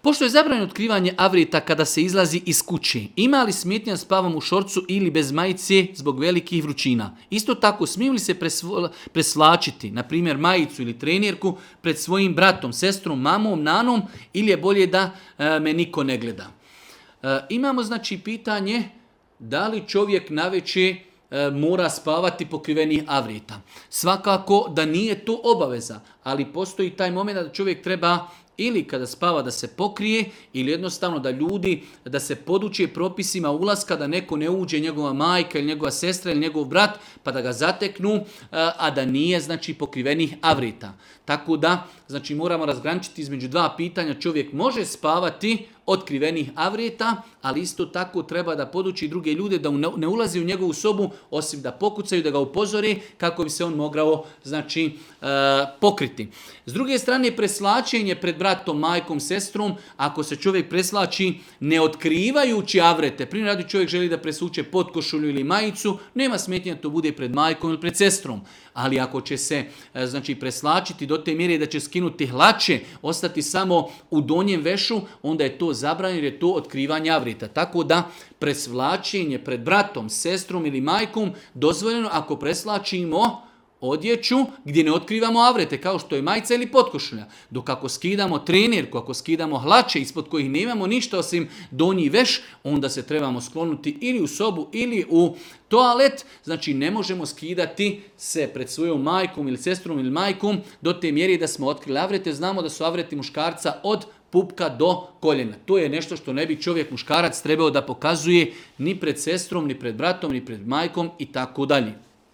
Pošto je zabranjeno otkrivanje avreta kada se izlazi iz kuće, ima li smetnja spavom u šorcu ili bez majice zbog velikih vrućina? Isto tako, smiju li se presvlačiti, na primjer majicu ili trenirku, pred svojim bratom, sestrom, mamom, nanom, ili je bolje da me niko ne gleda? Imamo znači pitanje da li čovjek navečer mora spavati pokrivenih avreta. Svakako da nije to obaveza, ali postoji taj moment da čovjek treba ili kada spava da se pokrije, ili jednostavno da se poduče propisima ulaska, da neko ne uđe, njegova majka ili njegova sestra ili njegov brat, pa da ga zateknu, a da nije znači pokrivenih avreta. Tako da znači moramo razgraničiti između dva pitanja. Čovjek može spavati otkrivenih avreta, ali isto tako treba da poduči druge ljude da ne ulazi u njegovu sobu, osim da pokucaju, da ga upozore kako bi se on mogao znači pokriti. S druge strane, preslačenje pred bratom, majkom, sestrom, ako se čovjek preslači ne otkrivajući avrete, primjer radi čovjek želi da presuče potkošulju ili majicu, nema smetnje da to bude pred majkom ili pred sestrom. Ali ako će se znači preslačiti do te mjere da će skinuti hlače, ostati samo u donjem vešu, onda je to zabranjeno jer je to otkrivanje avreta. Tako da presvlačenje pred bratom, sestrom ili majkom dozvoljeno ako preslačimo odjeću gdje ne otkrivamo avrete, kao što je majica ili potkošulja. Dok ako skidamo trenirku, ako skidamo hlače ispod kojih nemamo ništa osim donji veš, onda se trebamo sklonuti ili u sobu ili u toalet. Znači ne možemo skidati se pred svojom majkom ili sestrom ili majkom do te mjere da smo otkrili avrete. Znamo da su avreti muškarca od pupka do koljena. To je nešto što ne bi čovjek muškarac trebao da pokazuje ni pred sestrom, ni pred bratom, ni pred majkom i tako dalje.